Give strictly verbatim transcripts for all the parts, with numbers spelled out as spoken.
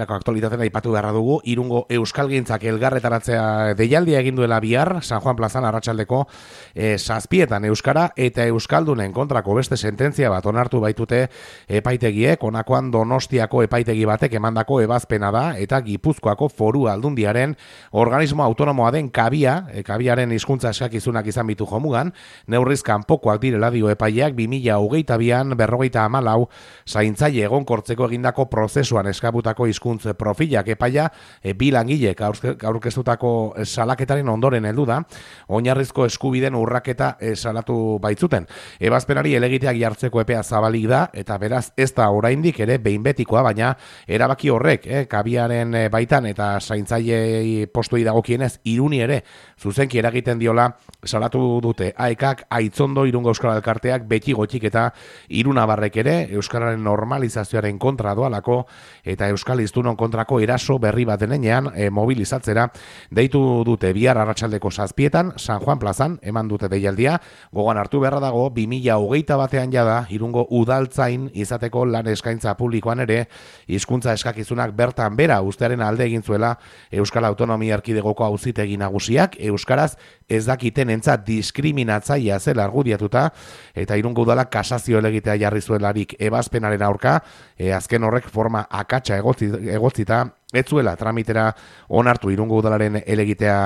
egunerako aktualitatea aipatu beharra dugu. Irungo Euskalgintzak elgarretaratzea deialdia egin duela bihar, San Juan plazan arratsaldeko e, zazpietan euskara eta euskaldunen kontrako beste sententzia bat onartu baitute epaitegiek. Honakoan Donostiako epaitegi batek emandako ebazpena da eta Gipuzkoako Foru Aldundiaren organismo autonomoa den kabia, e, kabiaren hizkuntza eskakizunak izan bitu jomugan, neurriz kanpokoak direla dio epaileak bi mila hogeita bian berrogeita hamalau zaintzaile egonkortzeko egindako prozesuan eskabutako hizkuntz profilak epaia e, bi langilek aurkeztutako salaketaren ondoren heldu da, oinarrizko eskubideen urraketa e, salatu baitzuten. Ebazpenari helegiteak jartzeko epea zabalik da eta beraz ez da oraindik ere behin betikoa, baina erabaki horrek eh, kabiaren e, baitan eta zaintzaile postuei dagokienez Iruni ere zuzenki eragiten diola salatu dute aekak, Aitzondo, Irungo Euskal Elkarteak, beti gotxik eta Irunabarrek ere euskararen normalizazioaren kontra doalako eta euskal hiztunon kontrako eraso berri bat denean e, mobilizatzera deitu dute bihar arratsaldeko zazpietan San Juan plazan eman dute deialdia. Gogoan hartu beharra dago bi mila hogeita batean jada Irungo udaltzain izateko lan eskaintza publikoan ere hizkuntza eskakizunak bertan bera ustearen alde egin zuela Euskal Autonomia Erkidegoko auzitegi nagusiak euskaraz ez dakiten entzat diskriminatzailea zela argudiatuta eta Irungo udalak kasazio helegitea jarri zuelarik ebazpenaren aurka, e, azken horrek forma akatsa egotzita ez zuela tramitera onartu Irungo udalaren helegitea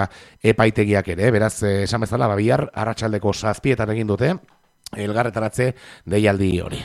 epaitegiak ere, beraz esan bezala bihar arratsaldeko zazpietan egin dute elgarretaratze deialdi hori.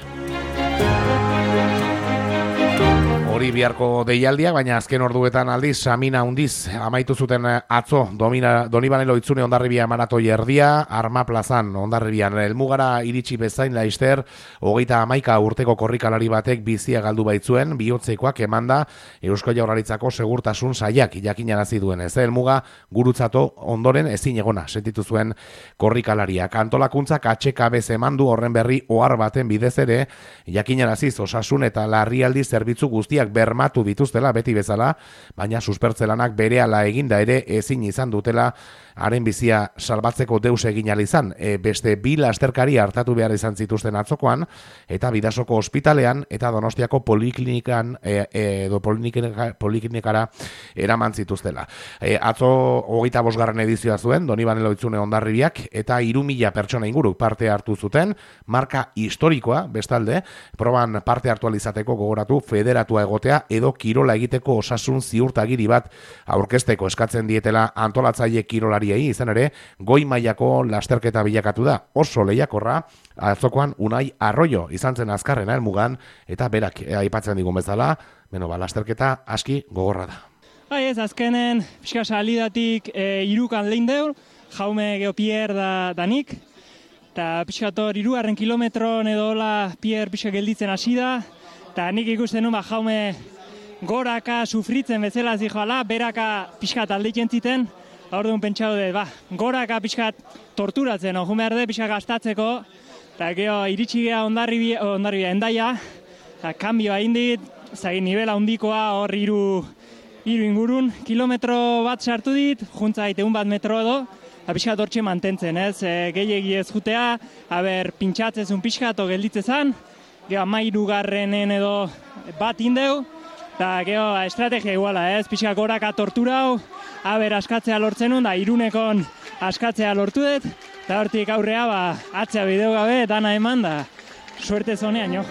Hori biharko deialdia, baina azken orduetan aldiz, Samina hundiz, amaitu zuten atzo, domina, Donibanelo Itzune Hondarribia maratoi erdia, Arma plazan Hondarribian. Elmugara iritsi bezain laister, hogeita hamaika urteko korrikalari batek bizia galdu baitzuen, bihotzekoak emanda Eusko Jaurlaritzako segurtasun sailak jakinarazi duen. Ez elmuga gurutzato ondoren ezin egona sentitu zuen korrikalariak. Antolakuntzak H K B emandu horren berri ohar baten bidez ere, jakinaraziz osasun eta larrialdi zerbitzu guztiak bermatu dituztela beti bezala, baina suspertzelanak berehala eginda ere ezin izan dutela haren bizia salbatzeko deus egin ahal izan. E, beste bi lasterkari hartatu behar izan zituzten atzokoan, eta Bidasoko ospitalean eta Donostiako poliklinikan e, e, edo poliklinika, poliklinikara eraman zituztela. E, atzo hogeita bosgarren edizioa zuen, Donibanelo Itzune Hondarribiak, eta hiru mila pertsona inguru parte hartu zuten, marka historikoa, bestalde, proban parte hartu izateko gogoratu federatua egotea edo kirola egiteko osasun ziurtagiri bat aurkezteko eskatzen dietela antolatzaile kirolari izan ere, goi mailako lasterketa bilakatu da. Oso lehiakorra, atzokoan Unai Arroyo izan zen azkarrena helmugan, eta berak aipatzen digun bezala, beno, ba, lasterketa aski gogorra da. Bai ez, azkenen, pixka salidatik e, irukan lehin deur, jaume geho Pierre da, danik, eta pixka tor irugarren kilometron edo hola Pierre pixka gelditzen hasi da, eta nik ikusten nuen, ba, jaume goraka sufritzen bezala zijoala, beraka pixka taldeiten ziten, orduan pentsatu dut, ba, goraka pixkat torturatzen, ojo behar dut pixkat gastatzeko, eta geho iritsi geha Hondarribia, Hondarribia endaia, eta kanbioa indit, zagin nivela handikoa hor iru, iru ingurun, kilometro bat sartu dit, juntza egun bat metro edo, eta pixkat hortxe mantentzen, ez, e, gehiegi ez jutea, haber pintxatzezun pixkat o gelditzezan, geho amairu garrenen edo bat indeu, eta geho estrategia iguala, ez, pixkat goraka torturau, haber askatzea lortzen nun, da Irunekon askatzea lortu dut, eta hortik aurrea, ba, atzea bideo gabe, dana eman, da, suerte zonean, jo.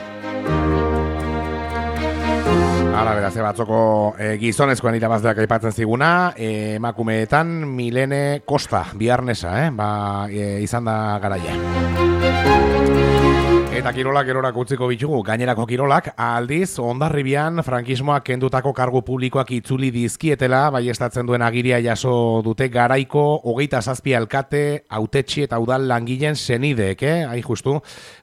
Hala, beraz, batzoko e, gizonezkoen irabazleak aipatzen ziguna, e, emakumeetan Milene Costa, biharnesa, eh? ba, e, izan da garaia. Eta kirolak erorak utziko bitugu, gainerako kirolak, aldiz, Hondarribian frankismoak kendutako kargu publikoak itzuli dizkietela, baiestatzen duen agiria jaso dute garaiko, hogeita zazpi alkate, hautetxi eta udal langileen senideek, eh? Hai justu,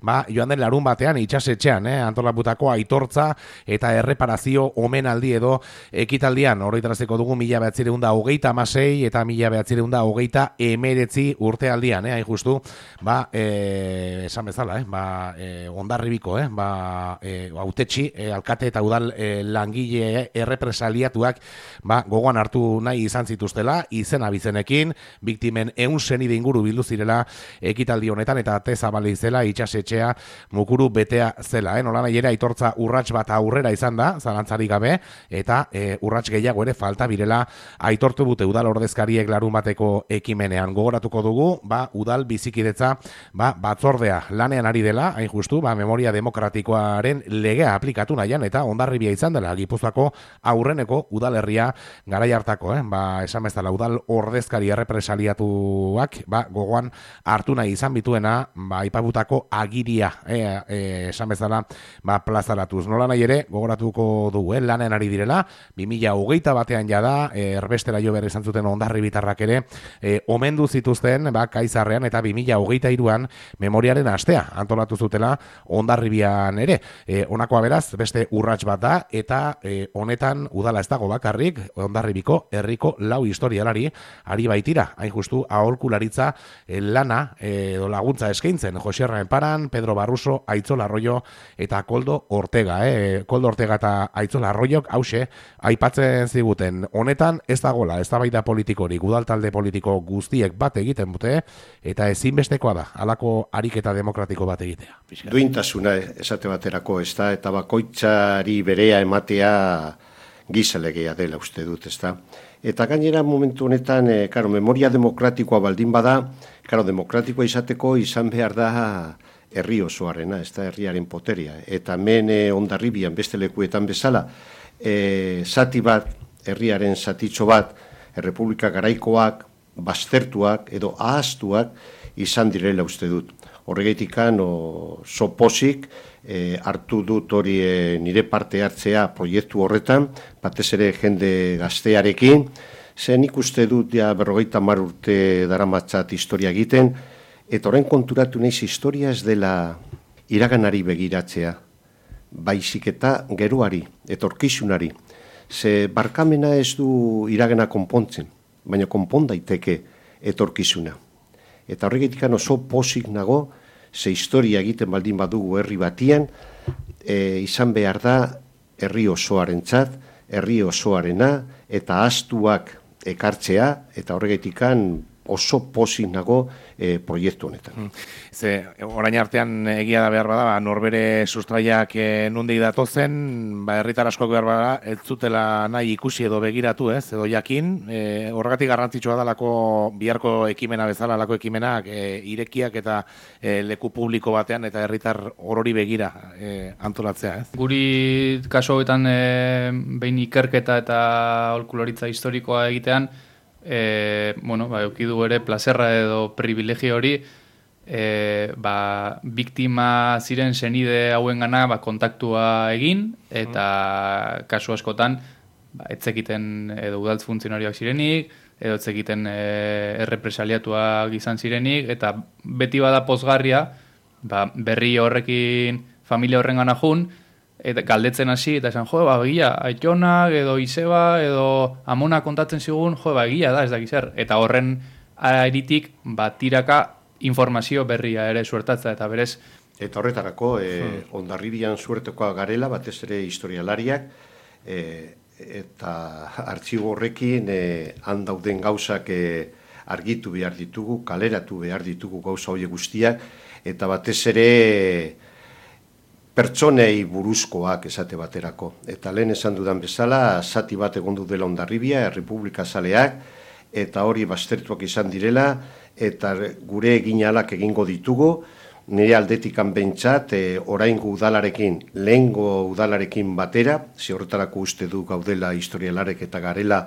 ba, joan den larun batean, itxasetxean, eh? Antolaputako aitortza eta erreparazio omenaldi edo ekitaldian, horretaraziko dugu mila behatzireun da hogeita amasei eta mila behatzireun da hogeita emeretzi urtealdian, eh? Hai justu, ba, e, esan bezala, eh? ba, e, Hondarribiko, eh, ba, e, autetxi, e, alkate eta udal e, langile errepresaliatuak ba, gogoan hartu nahi izan zituztela, izen abizenekin, biktimen eun senide inguru bildu zirela ekitaldi honetan, eta ate zabali zela itxasetxea mukuru betea zela. Eh? Nola nahi ere aitortza urrats bat aurrera izan da, zalantzarik gabe, eta e, urrats gehiago ere falta birela aitortu bute udal ordezkariek larun bateko ekimenean. Gogoratuko dugu, ba, udal bizikidetza ba, batzordea lanean ari dela, hain justu, ba, memoria demokratikoaren legea aplikatu nahian, eta Hondarribia izan dela, Gipuzkoako aurreneko udalerria garai hartako, eh? ba, esan bezala udal ordezkari errepresaliatuak ba, gogoan hartu nahi izan bituena, ba, aipatutako agiria, eh, eh, esan bezala, ba, plazaratuz. Nola nahi ere, gogoratuko dugu, eh? lanean ari direla, bi mila hogeita batean jada, eh, erbestera jo behar izan zuten Hondarribitarrak ere, eh, omendu zituzten, ba, Kaizarrean, eta bi mila hogeita hiruan memoriaren astea antolatu zutela Hondarribian ere. E, honakoa beraz, beste urrats bat da, eta e, honetan udala ez dago bakarrik, Hondarribiko herriko lau historialari ari baitira, hain justu aholkularitza e, lana edo e, laguntza eskaintzen, Josierra Enparan, Pedro Barruso, Aitzola Arroyo eta Koldo Ortega. E, Koldo Ortega eta Aitzola Arroyok hause aipatzen ziguten, honetan ez dagoela, ez da baita politikorik, udal talde politiko guztiek bat egiten dute, eta ezinbestekoa da, halako ariketa demokratiko bat egitea. Duintasuna esate baterako, ez da, eta bakoitzari berea ematea gizalegea dela uste dut, ez da. Eta gainera momentu honetan, e, karo, memoria demokratikoa baldin bada, karo, demokratikoa izateko izan behar da herri osoarena, ez da, herriaren poteria. Eta hemen e, Hondarribian beste lekuetan bezala, e, zati bat, herriaren zatitxo bat, Errepublika garaikoak, baztertuak edo ahaztuak izan direla uste dut. Horregatikan soposik e, hartu dut hori e, nire parte hartzea proiektu horretan, batez ere jende gaztearekin, zen ikuste dut ja berrogeita hamar urte daramatzat historia egiten, eta orain konturatu naiz historia ez dela iraganari begiratzea, baizik eta geroari, etorkizunari. Ze barkamena ez du iragana konpontzen, baina konpon daiteke etorkizuna. Eta horregatik oso pozik nago, ze historia egiten baldin badugu herri batian, e, izan behar da herri osoarentzat, herri osoarena, eta ahaztuak ekartzea, eta horregatik oso pozik nago e, proiektu honetan. Ze, orain artean egia da behar bada, ba, norbere sustraiak e, nundik datozen, ba, herritar askok behar bada, ez zutela nahi ikusi edo begiratu, ez, edo jakin, e, horregatik garrantzitsua dalako biharko ekimena bezala, lako ekimenak e, irekiak eta e, leku publiko batean, eta herritar orori begira e, antolatzea, ez? Guri kaso hoetan e, behin ikerketa eta aholkularitza historikoa egitean, E, bueno, ba, eukidu ere plazerra edo privilegio hori e, ba, biktima ziren senide hauen gana ba, kontaktua egin eta mm. kasu askotan ba, etzekiten edo udaltz funtzionarioak zirenik edo etzekiten e, errepresaliatuak izan zirenik eta beti bada pozgarria ba, berri horrekin familia horren gana jun eta galdetzen hasi, eta esan, jo, ba, egia, Aitonak, edo Izeba, edo Amona kontatzen zigun, jo, ba, egia da, ez dakiz zer. Eta horren aritik, ba, tiraka informazio berria ere suertatza, eta berez... Eta horretarako, e, hmm. Hondarribian suertekoa garela, batez ere historialariak, e, eta artxibo horrekin, e, handauden gauzak e, argitu behar ditugu, kaleratu behar ditugu gauza horiek guztiak, eta batez ere... pertsonei buruzkoak esate baterako. Eta lehen esan dudan bezala, zati bat egondu dela Hondarribia, Errepublika Zaleak, eta hori baztertuak izan direla, eta gure eginalak egingo ditugu, nire aldetikan bentsat, e, oraingo udalarekin, lehengo udalarekin batera, ze horretarako uste du gaudela historialarek eta garela,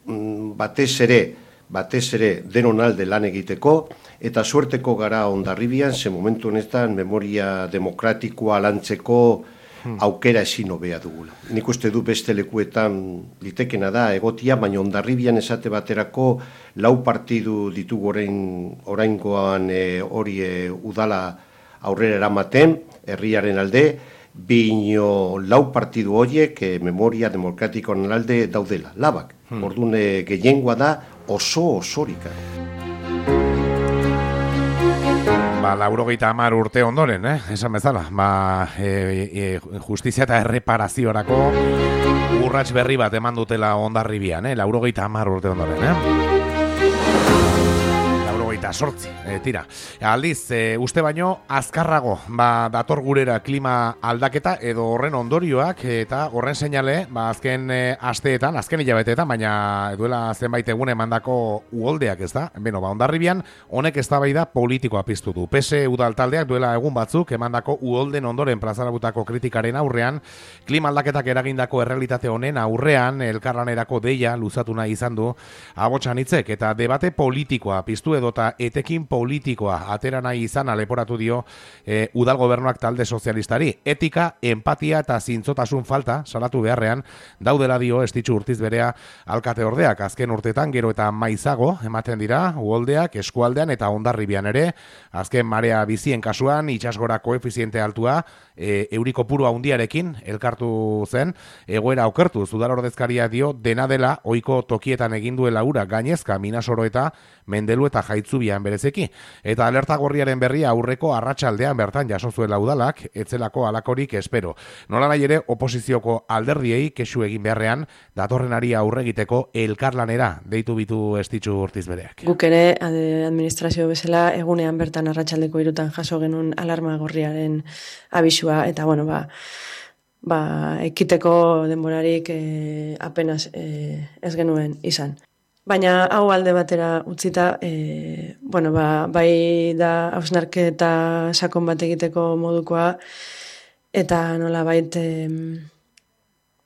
batez ere, batez ere denon alde lan egiteko, eta suerteko gara Hondarribian, ze momentu honetan memoria demokratikoa lantzeko aukera ezin hobea dugula. Nik uste du beste lekuetan litekena da egotia, baina Hondarribian esate baterako lau partidu ditugu orain, oraingoan e, hori e, udala aurrera eramaten, herriaren alde, bino lau partidu horiek e, memoria demokratikoan alde daudela, labak. Hmm. Orduan e, gehiengoa da oso osorika. ba, laurogeita hamar urte ondoren, eh? Esan bezala, ba, e, e, justizia eta erreparaziorako urrats berri bat eman dutela Hondarribian, eh? Laurogeita hamar urte ondoren, eh? Laurogeita sortzi, e, tira. Aldiz, e, uste baino, azkarrago, ba, dator gurera klima aldaketa edo horren ondorioak eta horren seinale, ba, azken e, asteetan, azken hilabeteetan, baina duela zenbait egun emandako uholdeak, ez da? Beno, ba, Hondarribian, honek eztabaida politikoa piztu du. P S E udal taldeak duela egun batzuk emandako uholden ondoren plazarabutako kritikaren aurrean, klima aldaketak eragindako errealitate honen aurrean elkarlanerako deia luzatu nahi izan du abotsan hitzek eta debate politikoa piztu edota etekin politikoa atera nahi izan leporatu dio e, udal gobernuak talde sozialistari. Etika, empatia eta zintzotasun falta salatu beharrean daudela dio Estitxu Urtiz berea alkate ordeak. Azken urtetan gero eta maizago ematen dira uholdeak eskualdean eta Hondarribian ere. Azken marea bizien kasuan itsasgora koefiziente altua e, euriko puru handiarekin elkartu zen, egoera okertu udal ordezkaria dio dena dela ohiko tokietan egin duela ura gainezka Minasoro eta Mendelu eta Jaitzubian berezeki. Eta alerta gorriaren berria aurreko arratsaldean bertan jaso zuela udalak, etzelako alakorik espero. Nola nahi ere oposizioko alderdiei kexu egin beharrean datorrenari aurre egiteko elkarlanera deitu bitu Estitxu Urtiz bereak. Guk ere administrazio bezala egunean bertan arratsaldeko hirutan jaso genuen alarma gorriaren abisua eta bueno, ba ba ekiteko denborarik eh, apenas eh, ez genuen izan. Baina hau alde batera utzita, e, bueno, ba, bai da hausnarketa sakon bat egiteko modukoa, eta nola baita, e,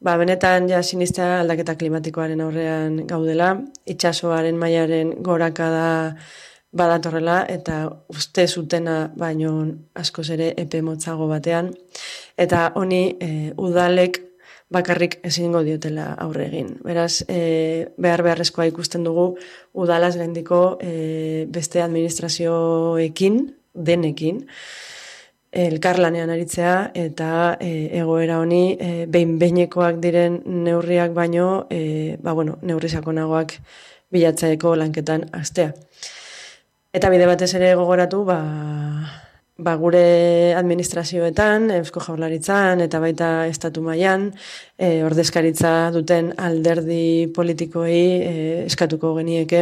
ba, benetan ja sinistea aldaketa klimatikoaren aurrean gaudela, itsasoaren mailaren gorakada badatorrela, eta uste zutena baino askoz ere epe motzago batean, eta honi e, udalek bakarrik ezingo diotela aurre egin. Beraz, e, behar beharrezkoa ikusten dugu udalaz gaindiko e, beste administrazioekin, denekin, elkarlanean aritzea eta e, egoera honi e, behin-behinekoak diren neurriak baino, e, ba, bueno, neurri sakonagoak bilatzaeko lanketan hastea. Eta bide batez ere gogoratu, ba, ba gure administrazioetan, Eusko Jaurlaritzan eta baita estatu mailan e, ordezkaritza duten alderdi politikoei e, eskatuko genieke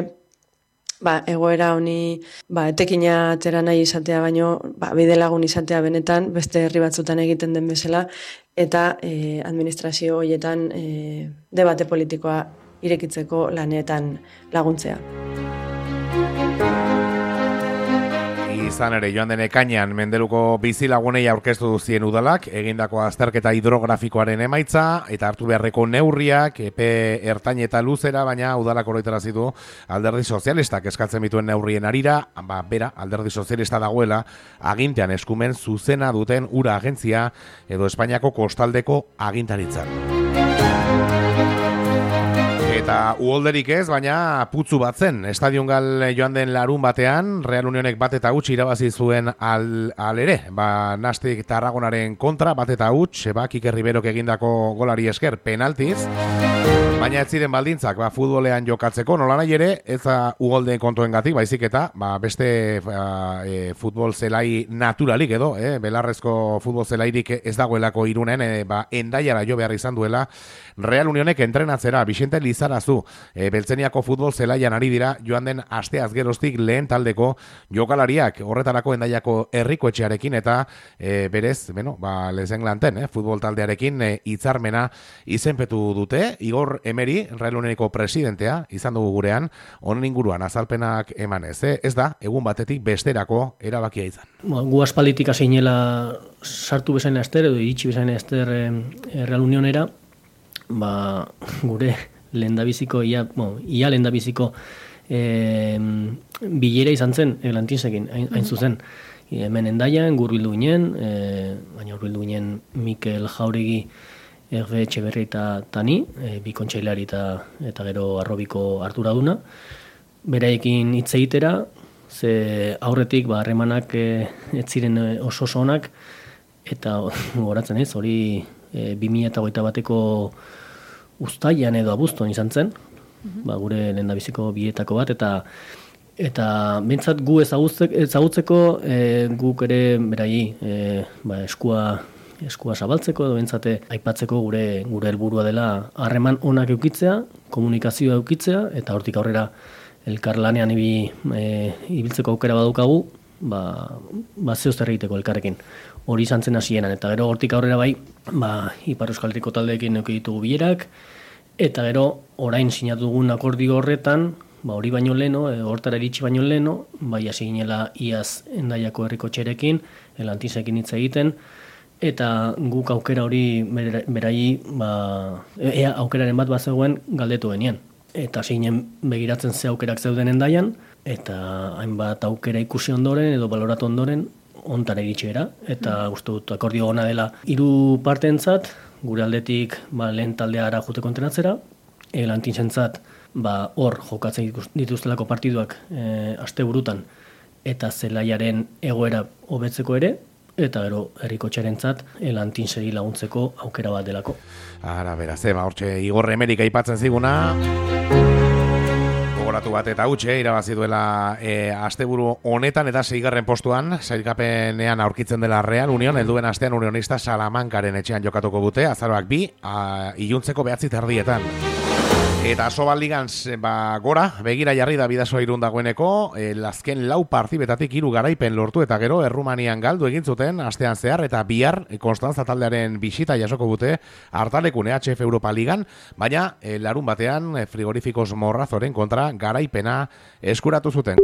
ba, egoera honi ba, etekina atera nahi izatea baino ba, bide lagun izatea benetan beste herri batzutan egiten den bezala eta e, administrazio horietan e, debate politikoa irekitzeko lanetan laguntzea. Izan ere, joan den ekainean Mendeluko bizilagunei aurkeztu duzien udalak, egindako azterketa hidrografikoaren emaitza, eta hartu beharreko neurriak, epe ertain eta luzera, baina udalak oroitarazi du alderdi sozialistak eskatzen bituen neurrien arira, ba, bera, alderdi sozialista dagoela, agintean eskumen zuzena duten ura agentzia, edo Espainiako kostaldeko agintaritzan. Eta uholderik ez, baina putzu bat zen. Estadiongal joan den larun batean, Real Unionek bat eta huts irabazi zuen al, al ere. Ba, Nastic Tarragonaren kontra, bat eta huts, ba, Kike Riberok egindako golari esker penaltiz. Baina ez ziren baldintzak, ba, futbolean jokatzeko, nola nahi ere, ez da uholdeen kontuengatik, baizik eta, ba, beste ba, e, futbol zelai naturalik edo, e, belarrezko futbol zelairik ez dagoelako Irunen, e, ba, Hendaiara jo behar izan duela, Real Unionek entrenatzera, Vicente Lizarazu, e, Beltzeniako futbol zelaian ari dira, joan den asteaz geroztik lehen taldeko jokalariak, horretarako Hendaiako herriko etxearekin, eta e, berez, bueno, ba, lezen glanten, eh, futbol taldearekin e, hitzarmena izenpetu dute, Igor Emeri, Real Unioneko presidentea, izan dugu gurean, honen inguruan azalpenak emanez, eh? Ez da, egun batetik besterako erabakia izan. Ba, gu aspalditik azeinela sartu bezain ester, edo iritsi bezain ester e, Real Unionera, ba, gure lehendabiziko, ia, bueno, ia lehendabiziko e, bilera izan zen Eglantinsekin, hain, hain zuzen. E, hemen Hendaian, gurbildu ginen, e, baina gurbildu ginen Mikel Jauregi, Erbe Etxeberri eta Tani, e, bi kontseilari eta, eta gero Arrobiko arduraduna. Beraiekin hitz egitera, ze aurretik ba, harremanak e, ez ziren oso oso onak, eta goratzen ez, hori e, bi mila hogeita bateko uztailean edo abuztuan izan zen, ba, gure lehendabiziko bietako bat, eta Eta bentsat gu ezagutzeko e, guk ere berai e, ba, eskua eskua zabaltzeko edo bentsate aipatzeko gure gure helburua dela harreman onak eukitzea, komunikazioa eukitzea eta hortik aurrera elkarlanean ibi, e, ibiltzeko aukera badukagu, ba ba zeozer egiteko elkarrekin. Hori izan zen hasieran eta gero hortik aurrera bai, ba Ipar Euskal Herriko taldeekin eduki ditugu bilerak eta gero orain sinatu dugun akordio horretan, ba hori baino leno, e, hortara iritsi baino leno, bai hasi ginela iaz Hendaiako herriko txerekin, Elantisekin hitz egiten eta guk aukera hori berai ba ea aukeraren bat bazegoen galdetu genian. Eta zinen begiratzen ze aukerak zeuden Hendaian eta hainbat aukera ikusi ondoren edo baloratu ondoren ontara iritsera eta uste dut akordio ona dela hiru parteentzat, gure aldetik ba lehen taldea ara joateko entrenatzera, Elantisentzat ba hor jokatzen dituztelako partiduak e, asteburutan eta zelaiaren egoera hobetzeko ere eta gero herrikotxearentzat Elantinseri laguntzeko aukera bat delako. Ara, beraz, eba, hortxe Igor Emerik aipatzen ziguna. Gogoratu bat eta hutxe, irabazi duela e, asteburu honetan eta seigarren postuan, sailkapenean aurkitzen dela Real Union, helduen astean Unionista Salamankaren etxean jokatuko dute, azaroak bi, a, iluntzeko behatzi terdietan. Eta Sobaligan ba, gora, begira jarri da Bidasoa Irun dagoeneko, e, azken lau partibetatik hiru garaipen lortu eta gero Errumanian galdu egin zuten astean zehar eta bihar Konstantza taldearen bisita jasoko dute Hartalekun E H F Europa Ligan, baina e, larun batean e, Frigorifikos Morrazoren kontra garaipena eskuratu zuten.